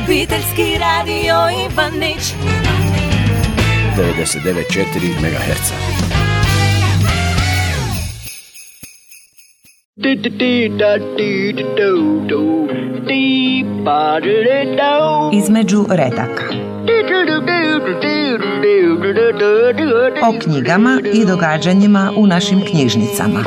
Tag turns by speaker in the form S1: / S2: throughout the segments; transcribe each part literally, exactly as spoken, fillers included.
S1: Obiteljski radio Ivanić
S2: devedeset devet zarez četiri megaherca.
S3: Između redaka. O knjigama i događanjima u našim knjižnicama.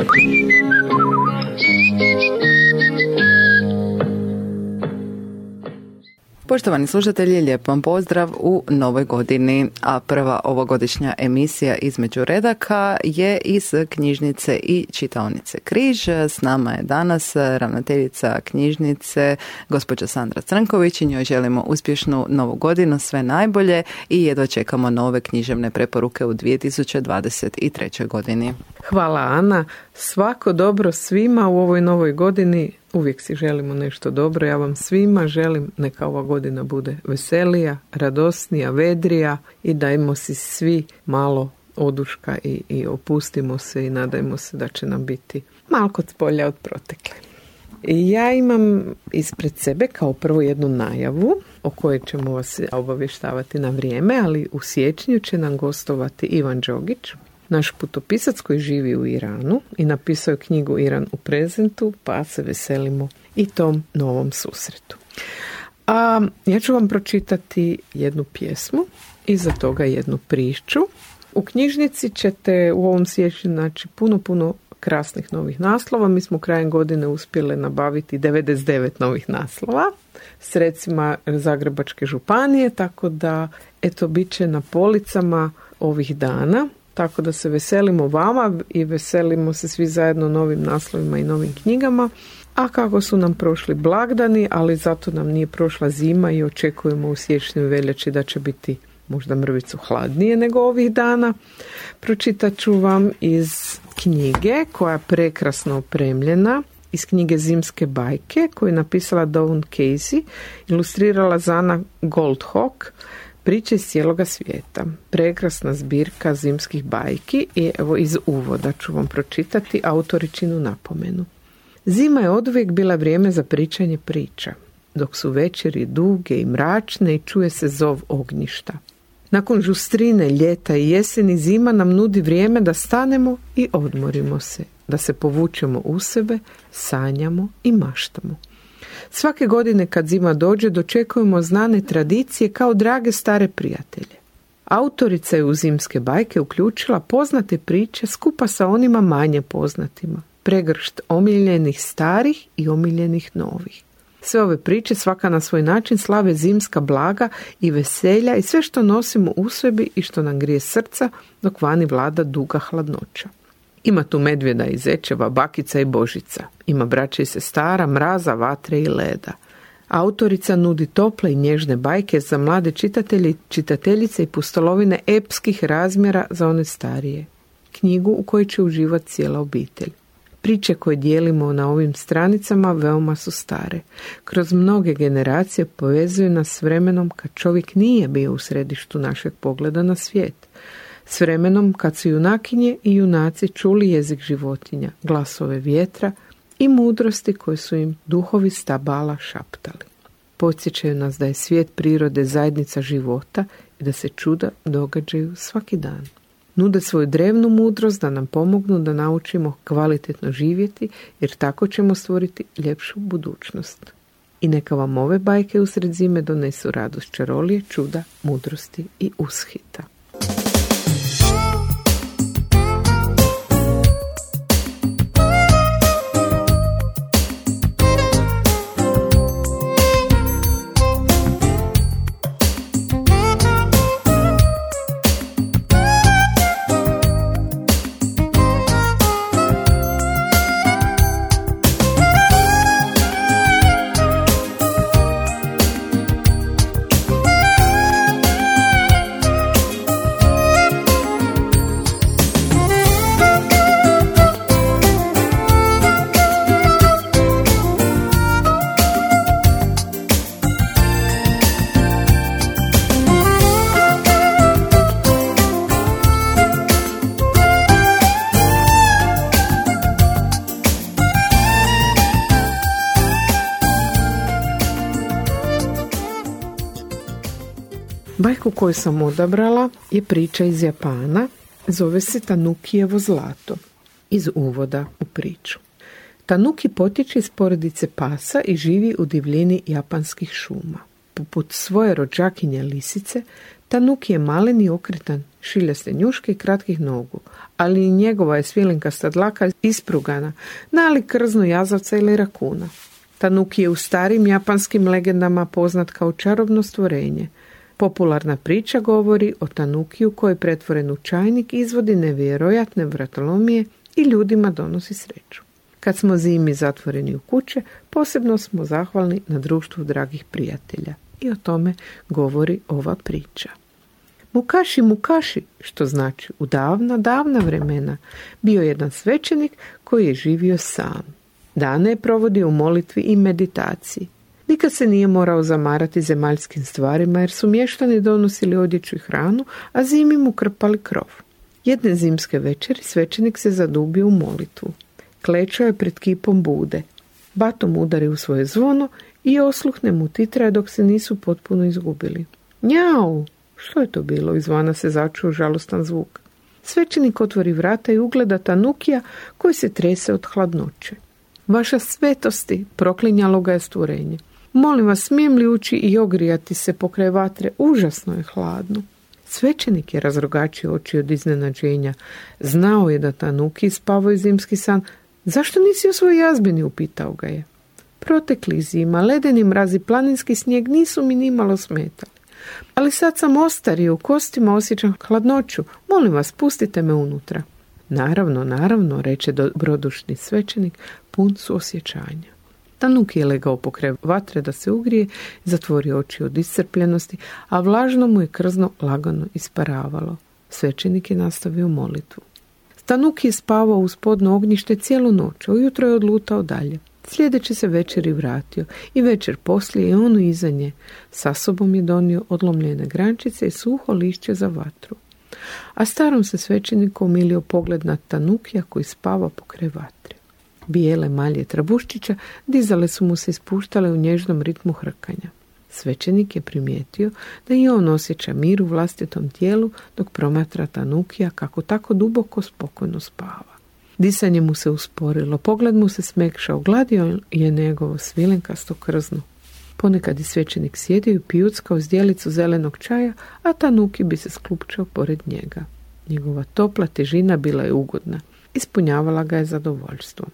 S4: Poštovani slušatelji, lijep vam pozdrav u novoj godini, a prva ovogodišnja emisija Između redaka je iz knjižnice i čitaonice Križ. S nama je danas ravnateljica knjižnice, gospođa Sandra Crnković, i njoj želimo uspješnu novu godinu, sve najbolje i jedva čekamo nove književne preporuke u dvije tisuće dvadeset trećoj godini.
S5: Hvala Ana, svako dobro svima u ovoj novoj godini. Uvijek si želimo nešto dobro. Ja vam svima želim neka ova godina bude veselija, radosnija, vedrija i dajmo si svi malo oduška i, i opustimo se i nadajmo se da će nam biti malo kod polja od protekle. Ja imam ispred sebe kao prvo jednu najavu o kojoj ćemo vas obavještavati na vrijeme, ali u siječnju će nam gostovati Ivan Đogić, naš putopisac koji živi u Iranu i napisao je knjigu Iran u prezentu, pa se veselimo i tom novom susretu. A ja ću vam pročitati jednu pjesmu i za toga jednu priču. U knjižnici ćete u ovom siječnju naći puno, puno krasnih novih naslova. Mi smo krajem godine uspjeli nabaviti devedeset devet novih naslova sredstvima Zagrebačke županije, tako da eto bit će na policama ovih dana. Tako da se veselimo vama i veselimo se svi zajedno novim naslovima i novim knjigama. A kako su nam prošli blagdani, ali zato nam nije prošla zima i očekujemo u siječnju i veljači da će biti možda mrvicu hladnije nego ovih dana. Pročitat ću vam iz knjige koja je prekrasno opremljena, iz knjige Zimske bajke koju je napisala Dawn Casey, ilustrirala Zana Goldhawk, Priče iz cijeloga svijeta. Prekrasna zbirka zimskih bajki i evo iz uvoda ću vam pročitati autoričinu napomenu. Zima je oduvijek bila vrijeme za pričanje priča, dok su večeri duge i mračne i čuje se zov ognjišta. Nakon žustrine, ljeta i jeseni zima nam nudi vrijeme da stanemo i odmorimo se, da se povučemo u sebe, sanjamo i maštamo. Svake godine kad zima dođe dočekujemo znane tradicije kao drage stare prijatelje. Autorica je u Zimske bajke uključila poznate priče skupa sa onima manje poznatima, pregršt omiljenih starih i omiljenih novih. Sve ove priče svaka na svoj način slave zimska blaga i veselja i sve što nosimo u sebi i što nam grije srca dok vani vlada duga hladnoća. Ima tu medvjeda i zečeva, bakica i božica. Ima braće i sestara, mraza, vatre i leda. Autorica nudi tople i nježne bajke za mlade čitatelje, čitateljice i pustolovine epskih razmjera za one starije. Knjigu u kojoj će uživati cijela obitelj. Priče koje dijelimo na ovim stranicama veoma su stare. Kroz mnoge generacije povezuju nas s vremenom kad čovjek nije bio u središtu našeg pogleda na svijet. S vremenom kad su junakinje i junaci čuli jezik životinja, glasove vjetra i mudrosti koje su im duhovi stabala šaptali. Podsjećaju nas da je svijet prirode zajednica života i da se čuda događaju svaki dan. Nude svoju drevnu mudrost da nam pomognu da naučimo kvalitetno živjeti, jer tako ćemo stvoriti ljepšu budućnost. I neka vam ove bajke usred zime donesu radost čarolije, čuda, mudrosti i ushita. Bajku koju sam odabrala je priča iz Japana, zove se Tanukijevo zlato, iz uvoda u priču. Tanuki potječe iz porodice pasa i živi u divljini japanskih šuma. Poput svoje rođakinje lisice, Tanuki je malen i okretan, šiljaste njuške i kratkih nogu, ali i njegova je svilenkasta dlaka isprugana, nalik krznu jazavca ili rakuna. Tanuki je u starim japanskim legendama poznat kao čarobno stvorenje. Popularna priča govori o Tanukiju koji je pretvoren u čajnik, izvodi nevjerojatne vratolomije i ljudima donosi sreću. Kad smo zimi zatvoreni u kuće, posebno smo zahvalni na društvu dragih prijatelja. I o tome govori ova priča. Mukaši, Mukaši, što znači u davna, davna vremena, bio jedan svećenik koji je živio sam. Dane je provodio u molitvi i meditaciji. Nikad se nije morao zamarati zemaljskim stvarima jer su mještani donosili odjeću i hranu, a zimi mu krpali krov. Jedne zimske večeri svećenik se zadubio u molitvu. Klečao je pred kipom Bude. Batom udari u svoje zvono i osluhne mu titraje dok se nisu potpuno izgubili. Njau! Što je to bilo? Izvana se začuo žalostan zvuk. Svećenik otvori vrata i ugleda Tanukija koji se trese od hladnoće. Vaša svetosti, proklinjalo ga je stvorenje. Molim vas, smijem li ući i ogrijati se pokraj vatre? Užasno je hladno. Svećenik je razrogačio oči od iznenađenja. Znao je da Tanuki spavao zimski san. Zašto nisi u svojoj jazbini? Upitao ga je. Protekli zima, ledeni mrazi, planinski snijeg nisu mi nimalo smetali. Ali sad sam ostario, u kostima osjećam hladnoću. Molim vas, pustite me unutra. Naravno, naravno, reče dobrodušni svećenik, pun suosjećanja. Tanuki je legao pokraj vatre da se ugrije i zatvorio oči od iscrpljenosti, a vlažno mu je krzno lagano isparavalo. Svećenik je nastavio molitvu. Tanuki je spavao uz podno ognjište cijelu noć, ujutro je odlutao dalje. Sljedeće se večeri vratio i večer poslije je ono iza nje. Sa sobom je donio odlomljene grančice i suho lišće za vatru. A starom se svećeniku umilio pogled na Tanukija koji spava pokraj vatre. Bijele malje trabuščića dizale su mu se ispuštale u nježnom ritmu hrkanja. Svećenik je primijetio da i on osjeća mir u vlastitom tijelu dok promatra Tanukija kako tako duboko spokojno spava. Disanje mu se usporilo, pogled mu se smekšao, gladio je njegovo svilenkasto krzno. Ponekad je svećenik sjedio i pijuckao zdjelicu zelenog čaja, a Tanuki bi se sklupčao pored njega. Njegova topla težina bila je ugodna, ispunjavala ga je zadovoljstvom.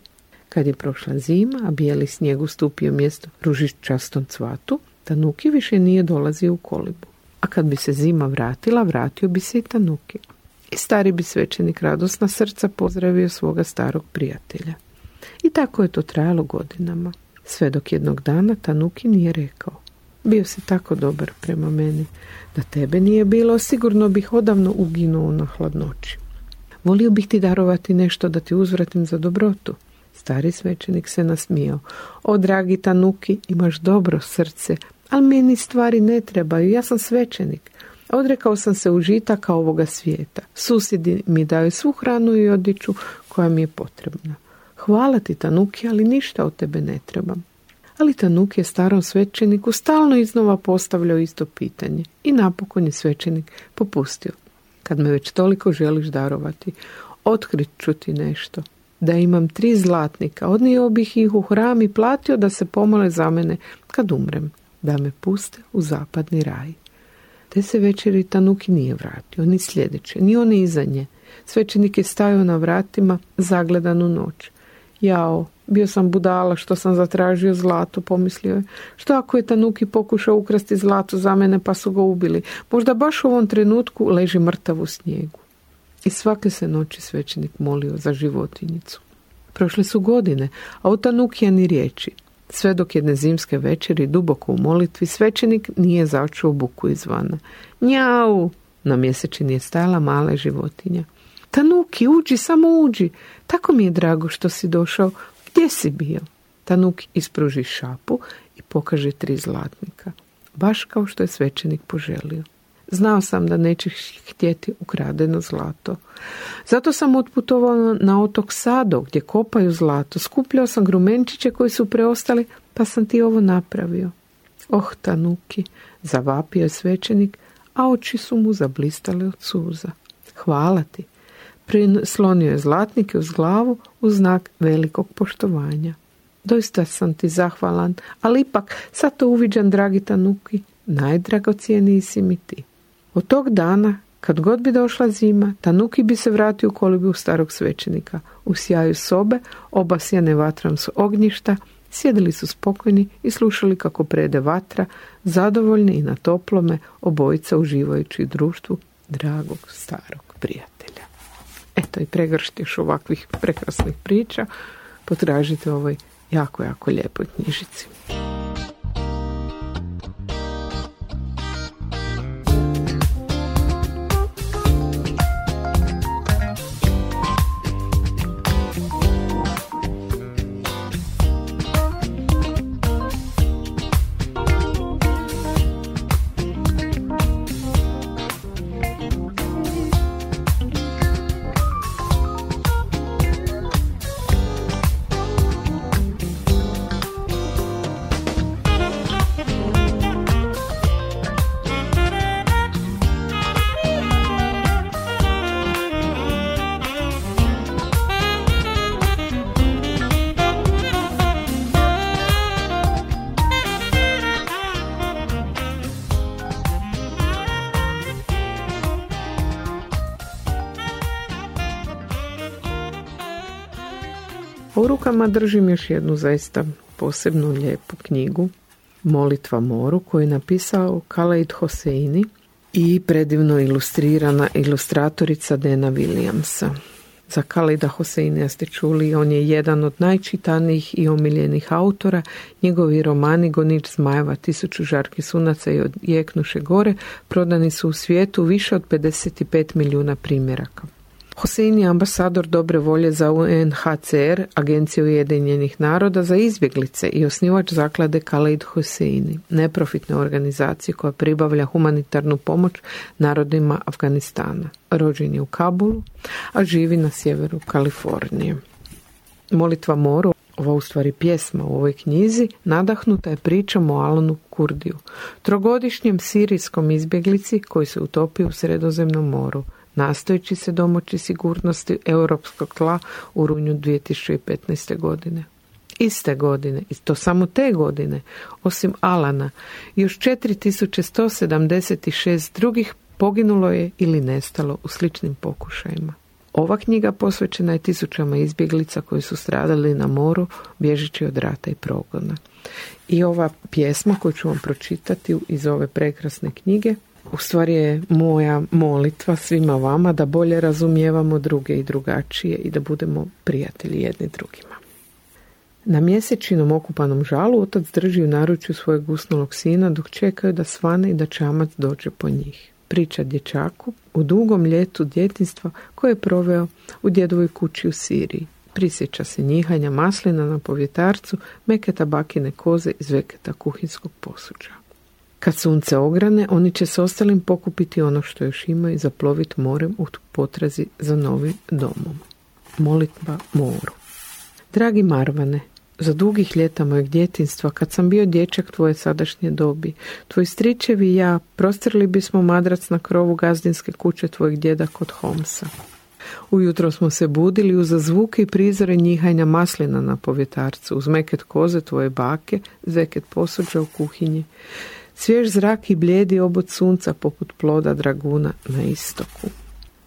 S5: Kad je prošla zima, a bijeli snijeg ustupio mjesto ružičastom cvatu, Tanuki više nije dolazio u kolibu. A kad bi se zima vratila, vratio bi se i Tanuki. I stari bi svećenik radosna srca pozdravio svoga starog prijatelja. I tako je to trajalo godinama. Sve dok jednog dana Tanuki nije rekao: bio si tako dobar prema meni, da tebe nije bilo, sigurno bih odavno uginuo na hladnoći. Volio bih ti darovati nešto da ti uzvratim za dobrotu. Stari svećenik se nasmijao. O, dragi Tanuki, imaš dobro srce, ali meni stvari ne trebaju, ja sam svećenik. Odrekao sam se užitaka ovoga svijeta. Susjedi mi daju svu hranu i odjeću koja mi je potrebna. Hvala ti, Tanuki, ali ništa od tebe ne trebam. Ali Tanuki je starom svećeniku stalno iznova postavljao isto pitanje i napokon je svećenik popustio. Kad me već toliko želiš darovati, otkrit ću ti nešto. Da imam tri zlatnika, odnio bih ih u hram i platio da se pomole za mene kad umrem, da me puste u zapadni raj. Te se večeri Tanuki nije vratio, ni sljedeće, ni one iza nje. Svećenik je stajao na vratima zagledan u noć. Jao, bio sam budala što sam zatražio zlato, pomislio je. Što ako je Tanuki pokušao ukrasti zlato za mene pa su ga ubili? Možda baš u ovom trenutku leži mrtav u snijegu. I svake se noći svećenik molio za životinjicu. Prošle su godine, a od Tanukija ni riječi. Sve dok jedne zimske večeri duboko u molitvi svećenik nije začuo buku izvana. Njau! Na mjesečini je stajala mala životinja. Tanuki, uđi, samo uđi. Tako mi je drago što si došao. Gdje si bio? Tanuki ispruži šapu i pokaže tri zlatnika. Baš kao što je svećenik poželio. Znao sam da nećeš htjeti ukradeno zlato. Zato sam otputovao na otok Sado gdje kopaju zlato. Skupljao sam grumenčiće koji su preostali, pa sam ti ovo napravio. Oh, Tanuki, zavapio je svećenik, a oči su mu zablistale od suza. Hvala ti. Prislonio je zlatnike uz glavu u znak velikog poštovanja. Doista sam ti zahvalan, ali ipak sad to uviđam, dragi Tanuki, najdragocijeniji si mi ti. Od tog dana, kad god bi došla zima, Tanuki bi se vratio u kolibu starog svećenika. U sjaju sobe, obasjane vatrom s ognjišta, sjedili su spokojni i slušali kako prede vatra, zadovoljni i na toplome, obojica uživajući u društvu dragog starog prijatelja. Eto i pregršt još ovakvih prekrasnih priča potražite u ovoj jako, jako lijepoj knjižici. U rukama držim još jednu zaista posebnu lijepu knjigu, Molitva moru, koju je napisao Khaled Hosseini i predivno ilustrirana ilustratorica Dana Williamsa. Za Khaleda Hosseinija ste čuli, on je jedan od najčitanijih i omiljenih autora. Njegovi romani Gonič zmajeva, Tisuću žarki sunaca i Odjeknuše gore prodani su u svijetu više od pedeset pet milijuna primjeraka. Hosseini je ambasador dobre volje za U N H C R, Agenciju Ujedinjenih naroda za izbjeglice, i osnivač zaklade Khaled Hosseini, neprofitne organizacije koja pribavlja humanitarnu pomoć narodima Afganistana. Rođen je u Kabulu, a živi na sjeveru Kalifornije. Molitva moru, ova u stvari pjesma u ovoj knjizi, nadahnuta je pričom o Alanu Kurdiju, trogodišnjem sirijskom izbjeglici koji se utopio u Sredozemnom moru, nastojeći se domoći sigurnosti europskog tla u rujnu dvije tisuće petnaeste. godine. Iste godine, i to samo te godine, osim Alana, još četiri tisuće sto sedamdeset šest drugih poginulo je ili nestalo u sličnim pokušajima. Ova knjiga posvećena je tisućama izbjeglica koji su stradali na moru bježeći od rata i progona. I ova pjesma koju ću vam pročitati iz ove prekrasne knjige u stvari je moja molitva svima vama da bolje razumijevamo druge i drugačije i da budemo prijatelji jedni drugima. Na mjesečinom okupanom žalu otac drži u naručju svojeg usnulog sina dok čekaju da svane i da čamac dođe po njih. Priča dječaku u dugom ljetu djetinjstva koje je proveo u djedovoj kući u Siriji. Prisjeća se njihanja maslina na povjetarcu, meketa bakine koze iz veketa kuhinskog posuđa. Kad sunce ograne, oni će s ostalim pokupiti ono što još imaju i zaploviti morem u potrazi za novim domom. Molitva moru. Dragi Marvane, za dugih ljeta mojeg djetinjstva, kad sam bio dječak tvoje sadašnje dobi, tvoji stričevi i ja prostrli bismo madrac na krovu gazdinske kuće tvojeg djeda kod Homsa. Ujutro smo se budili uz zvuke i prizore njihanja maslina na povjetarcu, uz meket koze tvoje bake, zveket posuđa u kuhinji, svjež zrak i blijedi obod sunca poput ploda draguna na istoku.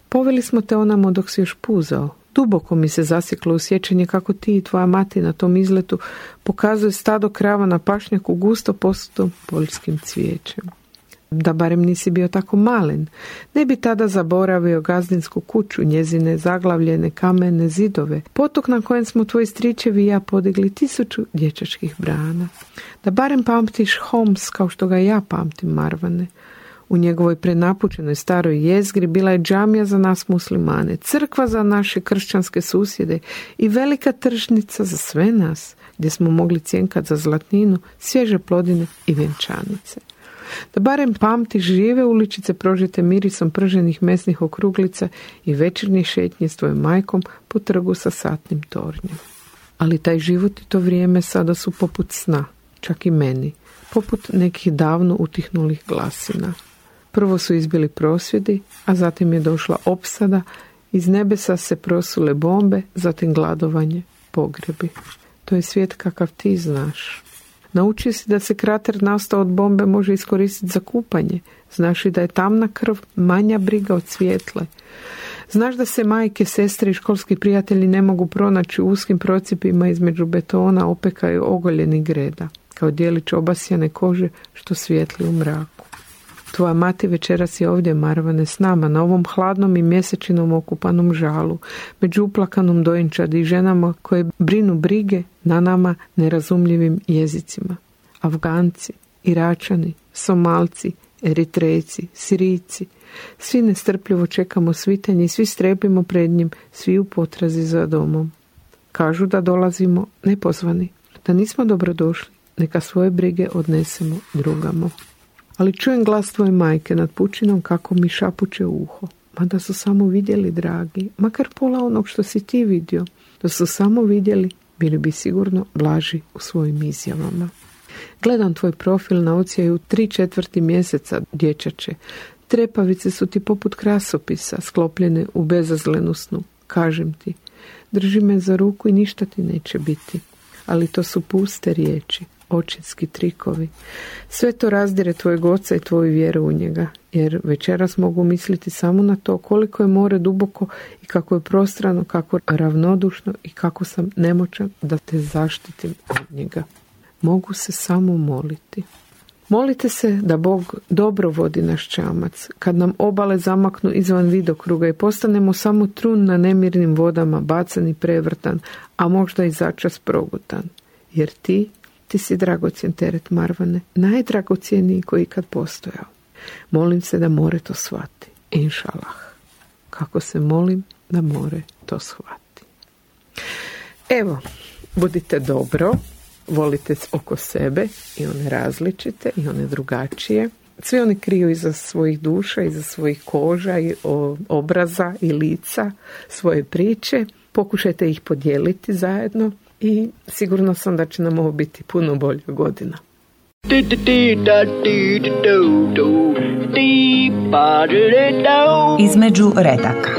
S5: Poveli smo te onamo dok si još puzao. Duboko mi se zasjeklo u sjećanje kako ti i tvoja mati na tom izletu pokazuje stado krava na pašnjaku gusto posutom poljskim cvijećem. Da barem nisi bio tako malen, ne bi tada zaboravio gazdinsku kuću, njezine zaglavljene kamene zidove, potok na kojem smo tvoji stričevi i ja podigli tisuću dječačkih brana. Da barem pamtiš Homs kao što ga ja pamtim, Marvane. U njegovoj prenapučenoj staroj jezgri bila je džamija za nas muslimane, crkva za naše kršćanske susjede i velika tržnica za sve nas, gdje smo mogli cjenkat za zlatninu, svježe plodine i vjenčanice. Da barem pamtiš žive uličice prožete mirisom prženih mesnih okruglica i večernje šetnje s tvojom majkom po trgu sa satnim tornjem. Ali taj život i to vrijeme sada su poput sna, čak i meni, poput nekih davno utihnulih glasina. Prvo su izbili prosvjedi, a zatim je došla opsada, iz nebesa se prosule bombe, zatim gladovanje, pogrebi. To je svijet kakav ti znaš. Naučio si da se krater nastao od bombe može iskoristiti za kupanje. Znaš i da je tamna krv manja briga od svijetle. Znaš da se majke, sestre i školski prijatelji ne mogu pronaći u uskim procipima između betona, opeka i ogoljenih greda, kao dijelić obasjane kože što svijetli u mraku. Tvoja mati večeras je ovdje, Marvane, s nama, na ovom hladnom i mjesečinom okupanom žalu, među uplakanom dojenčadi i ženama koje brinu brige na nama nerazumljivim jezicima. Afganci, Iračani, Somalci, Eritrejci, Sirijci, svi nestrpljivo čekamo svitanje i svi strepimo pred njim, svi u potrazi za domom. Kažu da dolazimo nepozvani, da nismo dobrodošli, neka svoje brige odnesemo drugamo. Ali čujem glas tvoje majke nad pučinom kako mi šapuće u uho. Ma da su samo vidjeli, dragi, makar pola onog što si ti vidio, da su samo vidjeli, bili bi sigurno blaži u svojim izjavama. Gledam tvoj profil na ocijaju tri četvrti mjeseca, dječače. Trepavice su ti poput krasopisa, sklopljene u bezazlenu snu. Kažem ti, drži me za ruku i ništa ti neće biti. Ali to su puste riječi, očinski trikovi. Sve to razdire tvojeg oca i tvoju vjeru u njega, jer večeras mogu misliti samo na to koliko je more duboko i kako je prostrano, kako ravnodušno i kako sam nemoćan da te zaštitim od njega. Mogu se samo moliti. Molite se da Bog dobro vodi naš čamac, kad nam obale zamaknu izvan vidokruga i postanemo samo trun na nemirnim vodama, bacan i prevrtan, a možda i začas progutan. Jer ti, ti si dragocjen teret, Marvane, najdragocjeniji koji ikad postojao. Molim se da more to shvati, inšalah. Kako se molim da more to shvati. Evo, budite dobro. Volite oko sebe i one različite i one drugačije. Svi oni kriju iza svojih duša, iza svojih koža i obraza i lica svoje priče. Pokušajte ih podijeliti zajedno i sigurno sam da će nam ovo biti puno bolja godina.
S3: Između redaka.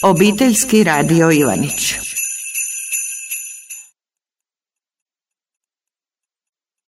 S3: Obiteljski radio Ivanić.